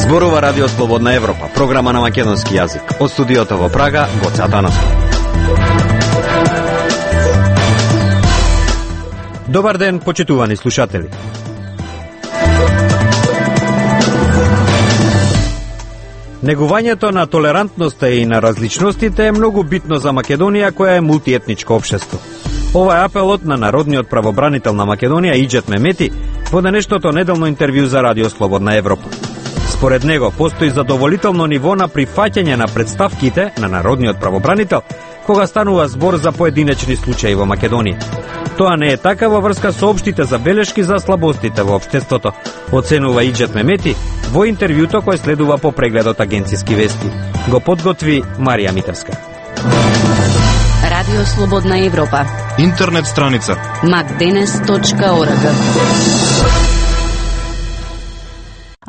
Зборува Радио Слободна Европа, програма на македонски јазик. Од студиото во Прага, Гоце Атанасов. Добар ден, почитувани слушатели. Негувањето на толерантноста и на различностите е многу битно за Македонија, која е мултиетничко општество. Ова е апелот на народниот правобранител на Македонија Иџет Мемети во денешното неделно интервју за Радио Слободна Европа. Според него, постои задоволително ниво на прифаќање на представките на народниот правобранител кога станува збор за поединечни случаи во Македонија. Тоа не е така во врска со општите забелешки за слабостите во општеството, оценува Иџет Мемети во интервјуто кој следува по прегледот Агенциски вести. Го подготви Марија Митевска. Радио Слободна Европа. Интернет страница macdenes.org.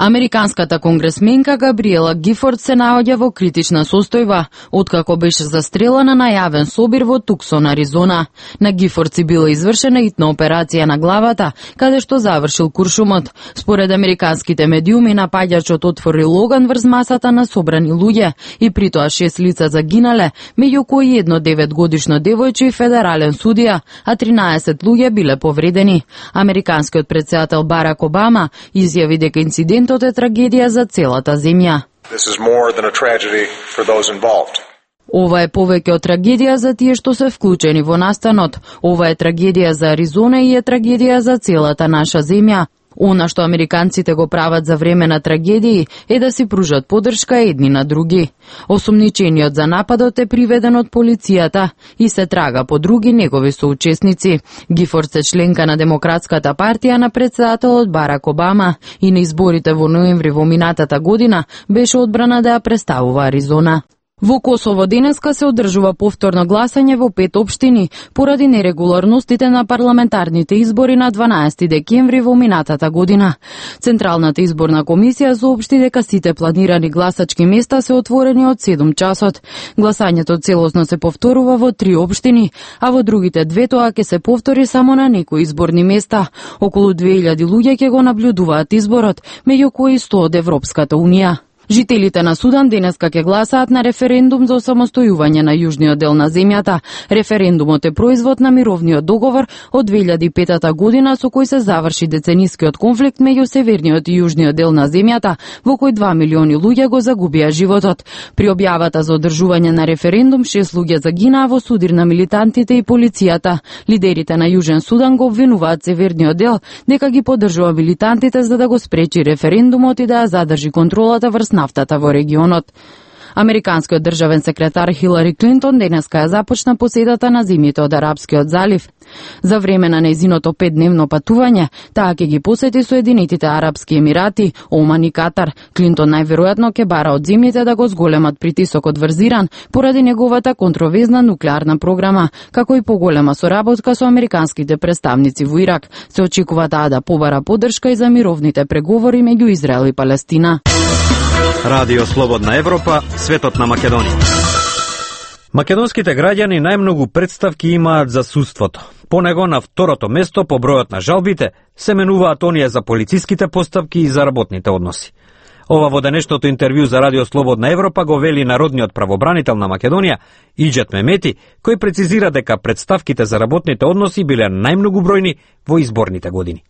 Американската конгресменка Габриела Гифорд се наоѓа во критична состојба, откако беше застрелана на јавен собир во Туксон, Аризона. На Гифорд си била извршена итна операција на главата, каде што завршил куршумот. Според американските медиуми, напаѓачот отворил оган врз масата на собрани луѓе и притоа 6 лица загинале, меѓу кои едно 9-годишно девојче и федерален судија, а 13 луѓе биле повредени. Американскиот претседател Барак Обама изјави дека инцидентот е трагедија за целата земја. Ова е повеќе од трагедија за тие што се вклучени во настанот. Ова е трагедија за Аризона и е трагедија за целата наша земја. Она што американците го прават за време на трагедии е да си пружат поддршка едни на други. Осумничениот за нападот е приведен од полицијата и се трага по други негови соучесници. Гифорд се членка на Демократската партија на претседателот Барак Обама и на изборите во ноември во минатата година беше одбрана да ја представува Аризона. Во Косово денеска се одржува повторно гласање во 5 општини поради нерегуларностите на парламентарните избори на 12 декември во минатата година. Централната изборна комисија соопшти дека сите планирани гласачки места се отворени од 7 часот. Гласањето целосно се повторува во 3 општини, а во другите 2 тоа ќе се повтори само на некои изборни места. Околу 2000 луѓе ќе го наблюдуваат изборот, меѓу кои 100 од Европската унија. Жителите на Судан денеска ќе гласаат на референдум за осамостојување на јужниот дел на земјата. Референдумот е производ на мировниот договор од 2005 година со кој се заврши деценискиот конфликт меѓу северниот и јужниот дел на земјата, во кој 2 милиони луѓе го загубија животот. При објавата за одржување на референдум 6 луѓе загинаа во судир на милитантите и полицијата. Лидерите на Јужен Судан го обвинуваат северниот дел дека ги поддржува милитантите за да го спречи референдумот и да ја задржи контролата врз нафтата во регионот. Американскиот државен секретар Хилари Клинтон денеска ја започна посетата на земјите од Арапскиот залив. За време на нејзиното 5-дневно патување, таа ќе ги посети Соединетите Арапски Емирати, Оман и Катар. Клинтон најверојатно ќе бара од земјите да го зголемат притисокот врз Иран поради неговата контровезна нуклеарна програма, како и поголема соработка со американските представници во Ирак. Се очекува таа да побара поддршка и за мировните преговори меѓу Израел и Палестина. Радио Слободна Европа, светот на Македонија. Македонските граѓани најмногу представки имаат за судството. По него на второто место по бројот на жалбите се менуваат оние за полициските постапки и за работните односи. Ова во денешното интервју за Радио Слободна Европа го вели народниот правобранител на Македонија Иџет Мемети, кој прецизира дека представките за работните односи биле најмногу бројни во изборните години.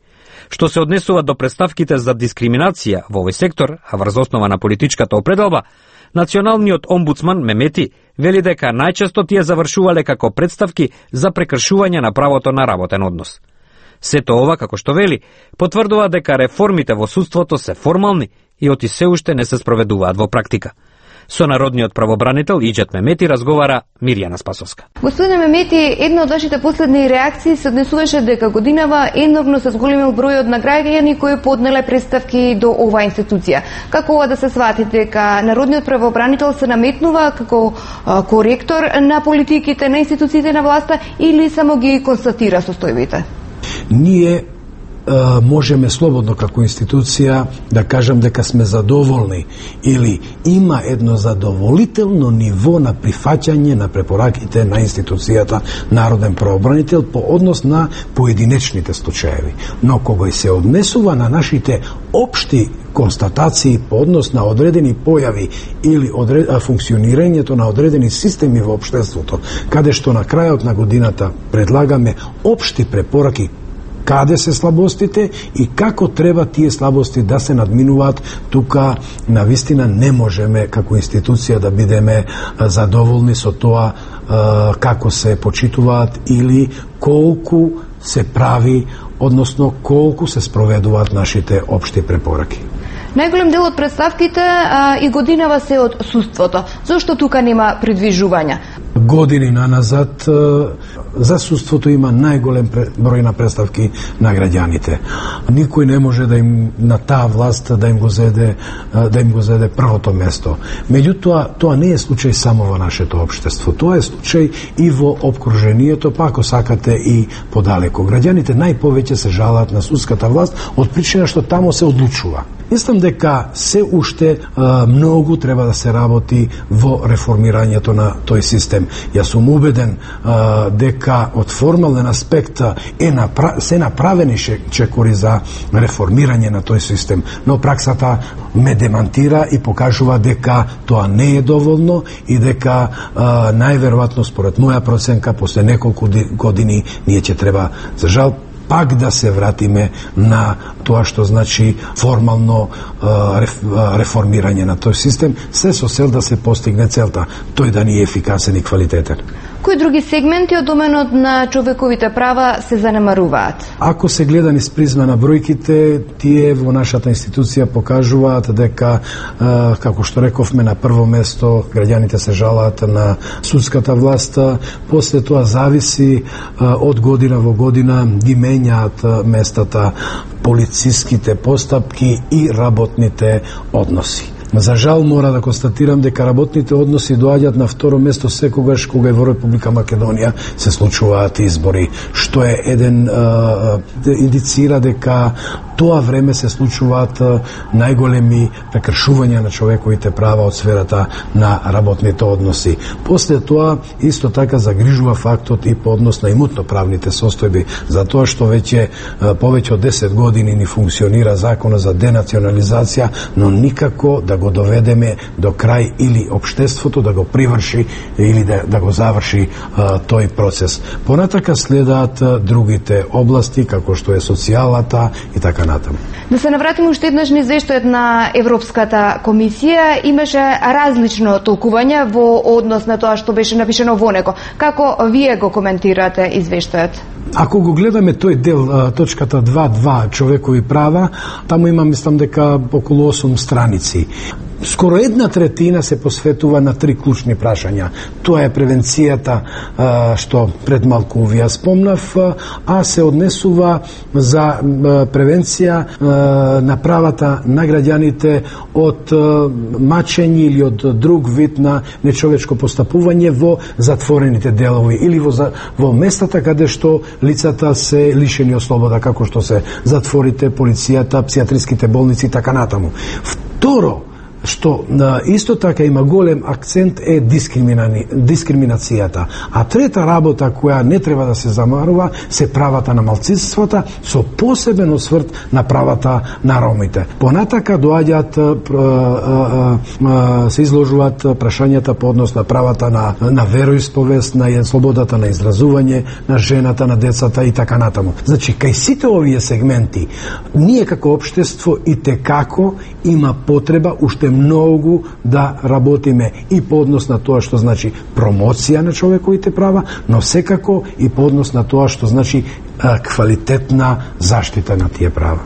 Што се однесува до представките за дискриминација во овој сектор, а врз основа на политичката определба, националниот омбудсман Мемети вели дека најчесто тие завршувале како представки за прекршување на правото на работен однос. Сето ова, како што вели, потврдува дека реформите во судството се формални и оти се уште не се спроведуваат во практика. Со народниот правобранител Иџет Мемети разговара Мирјана Спасовска. Господине Мемети, една од вашите последни реакции се однесуваше дека годинава еновно се зголемил бројот на граѓани кои поднеле представки до оваа институција. Како ова да се свати, дека народниот правобранител се наметнува како коректор на политиките на институциите на власта или само ги констатира состојбите? Ние можеме слободно како институција да кажам дека сме задоволни или има едно задоволително ниво на прифаќање на препораките на институцијата народен правобранител по однос на поединечните случаеви. Но кога се однесува на нашите општи констатации по однос на одредени појави или функционирањето на одредени системи во општеството, каде што на крајот на годината предлагаме општи препораки каде се слабостите и како треба тие слабости да се надминуваат. Тука навистина не можеме како институција да бидеме задоволни со тоа како се почитуваат или колку се прави, односно колку се спроведуваат нашите општи препораки. Најголем дел од представките и годинава се од судството. Зошто тука нема придвижувања? Години наназад за судството има најголем број на представки на граѓаните. Никој не може да им на таа власт да им го зеде првото место. Меѓутоа, тоа не е случај само во нашето општество. Тоа е случај и во опкружението, па ако сакате и подалеку. Граѓаните најповеќе се жалаат на судската власт од причина што тамо се одлучува. Мислам дека се уште многу треба да се работи во реформирањето на тој систем. Јас сум убеден дека од формален аспект се направени чекори за реформирање на тој систем, но праксата ме демантира и покажува дека тоа не е доволно и дека најверојатно според моја проценка после неколку години ние ќе треба, за жал, пак да се вратиме на тоа што значи формално реформирање на тој систем, се со цел да се постигне целта, тој да ни е ефикасен и квалитетен. Кои други сегменти од доменот на човековите права се занемаруваат? Ако се гледа низ призма на бројките, тие во нашата институција покажуваат дека, како што рековме, на прво место граѓаните се жалаат на судската власт, после тоа зависи од година во година ги менјаат местата полициските постапки и работните односи. За жал мора да констатирам дека работните односи доаѓаат на второ место секогаш кога и во Република Македонија се случуваат избори, што е индицира дека тоа време се случуваат најголеми прекршувања на човековите права од сферата на работните односи. После тоа исто така загрижува фактот и по однос на имутно-правните состојби, затоа што повеќе од 10 години ни функционира законот за денационализација, но никако да го доведеме до крај или општеството да го приврши или да го заврши тој процес. Понатака следаат другите области, како што е социјалната и така натаму. Да се навратиме уште еднаш на извештајот на Европската комисија, имаше различно толкување во однос на тоа што беше напишано во него. Како вие го коментирате извештајот? Ако го гледаме тој дел, точката 2.2 човекови права, таму има, мислам дека околу 8 страници. Скоро 1/3 се посветува на 3 клучни прашања. Тоа е превенцијата, што пред малку ви ја спомнав, а се однесува за превенција на правата на граѓаните од мачење или од друг вид на нечовечко постапување во затворените делови или во местата каде што лицата се лишени од слобода, како што се затворите, полицијата, псијатриските болници и така натаму. Второ, што исто така има голем акцент е дискриминацијата. А трета работа која не треба да се замарува се правата на малцинствата со посебен осврт на правата на ромите. Понатака доаѓаат се изложуваат прашањата по однос на правата на вероисповест, на слободата на изразување, на жената, на децата и така натаму. Значи, кај сите овие сегменти ние како општество и текако има потреба уште многу да работиме и по однос на тоа што значи промоција на човековите права, но секако и по однос на тоа што значи квалитетна заштита на тие права.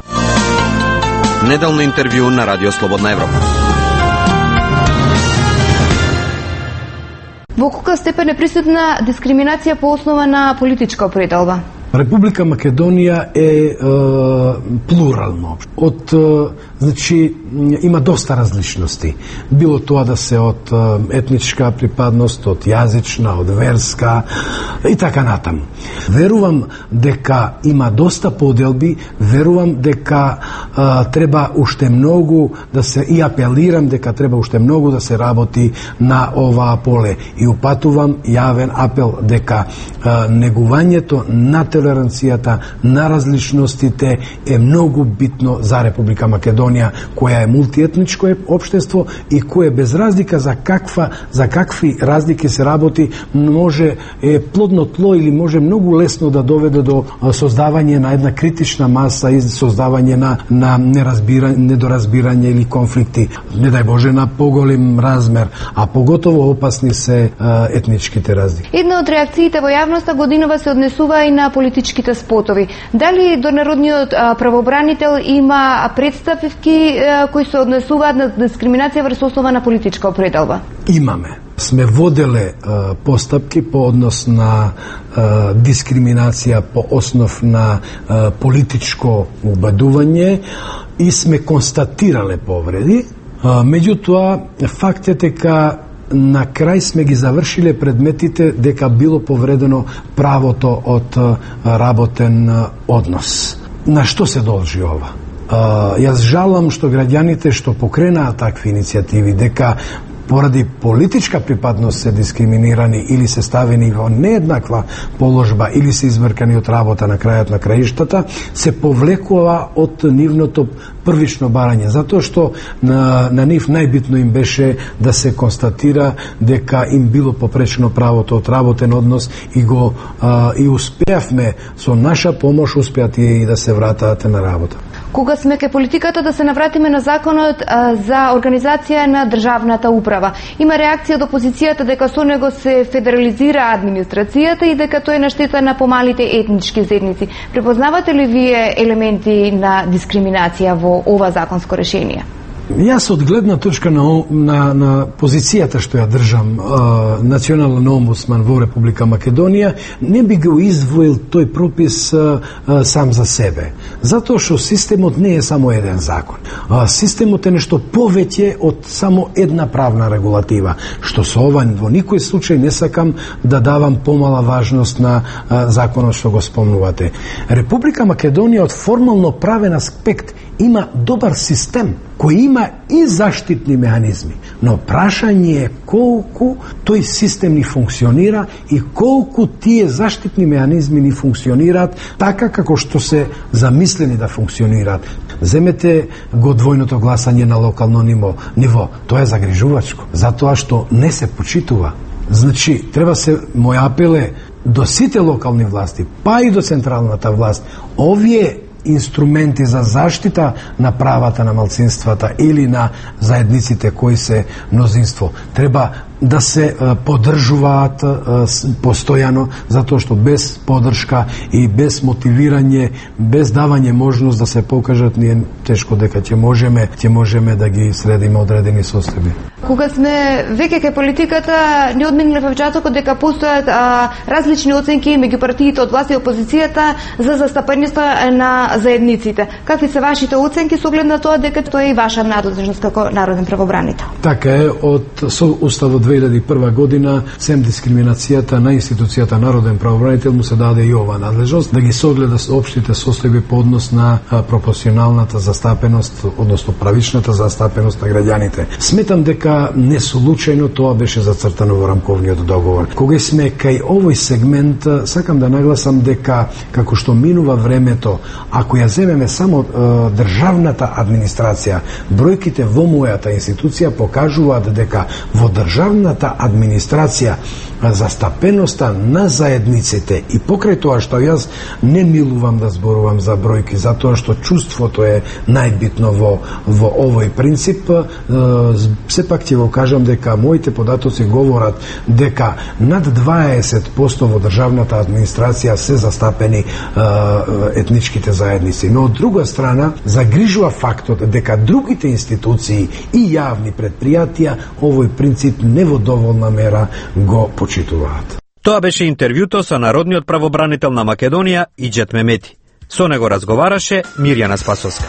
Неделно интервју на Радио Слободна Европа. Во колка степен е присутна дискриминација по основа на политичка определба? Република Македонија е плурална. Од Значи, има доста различности. Било тоа да се од етничка припадност, од јазична, од верска и така натаму. Верувам дека има доста поделби, верувам дека треба уште многу да се, и апелирам дека треба уште многу да се работи на оваа поле. И упатувам јавен апел дека негувањето на толеранцијата, на различностите е многу битно за Република Македонија, која е мултиетничко општество и кое без разлика за какви разлики се работи, може е плодно тло или може многу лесно да доведе до создавање на една критична маса и создавање на недоразбирање или конфликти, не дај Боже на поголем размер, а поготово опасни се етничките разлики. Една од реакциите во јавноста годинова се однесува и на политичките спотови. Дали до народниот правобранител има представки кои се однесуваат на дискриминација врз основа на политичка определба? Имаме. Сме воделе постапки по однос на дискриминација по основ на политичко убедување и сме констатирале повреди. Меѓутоа, факт е дека на крај сме ги завршиле предметите дека било повредено правото од работен однос. На што се должи ова? Јас жалам што граѓаните што покренаат такви иницијативи, дека поради политичка припадност се дискриминирани или се ставени во нееднаква положба или се извркани од работа на крајот на краиштата, се повлекува од нивното првично барање, затоа што на нив најбитно им беше да се констатира дека им било попречено правото од работен однос и успеавме со наша помош успеат и да се вратат на работа. Кога сме ке политиката, да се навратиме на законот за организација на државната управа. Има реакција од опозицијата дека со него се федерализира администрацијата и дека тој е на штета на помалите етнички заедници. Препознавате ли вие елементи на дискриминација во ова законско решение? Јас од гледна точка на позицијата што ја држам национален омбудсман во Република Македонија, не би го издвоил тој пропис сам за себе. Затоа што системот не е само еден закон. Системот е нешто повеќе од само една правна регулатива, што со ова во никој случај не сакам да давам помала важност на законот што го спомнувате. Република Македонија од формално правен аспект има добар систем кој има и заштитни механизми, но прашање е колку тој систем ни функционира и колку тие заштитни механизми ни функционираат така како што се замислени да функционираат. Земете го двојното гласање на локално ниво, тоа е загрижувачко, затоа што не се почитува. Значи, треба се, мој апел е до сите локални власти, па и до централната власт, овие инструменти за заштита на правата на малцинствата или на заедниците кои се мнозинство треба да се поддржуваат постојано, затоа што без поддршка и без мотивирање, без давање можност да се покажат, ние тешко дека ќе можеме да ги средиме одредени состојби. Кога сме веќе кај политиката, не одминале вчатокот дека постојат различни оценки меѓу партиите од власт и опозицијата за застапеноста на заедниците. Какви се вашите оценки со оглед на тоа дека тоа е и ваша надлежност како народен правобранител? Така е, со Уставот 2001 година, сем дискриминацијата на институцијата народен правобранител му се даде и ова надлежност да ги согледа општите состојби по однос на пропорционалната застапеност, односно правичната застапеност на граѓаните. Сметам дека не случајно тоа беше зацртано во рамковниот договор. Кога сме кај овој сегмент, сакам да нагласам дека како што минува времето, ако ја земеме само државната администрација, бројките во мојата институција покажуваат дека во државната администрација застапеноста на заедниците и покрај тоа што јас не милувам да зборувам за бројки, затоа што чувството е најбитно во овој принцип, сепак ќе го кажам дека моите податоци говорат дека над 20% во државната администрација се застапени етничките заедници. Но од друга страна, загрижува фактот дека другите институции и јавни предпријатија овој принцип не во доволна мера го почитуваат. Тоа беше интервјуто со народниот правобранител на Македонија Иџет Мемети. Со него разговараше Мирјана Спасовска.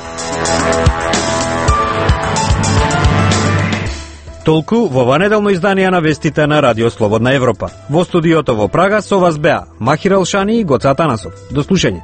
Толку во ова неделно издание на вестите на Радио Слободна Европа. Во студиото во Прага со вас беа Махир Алшани и Гоца Атанасов. До слушање.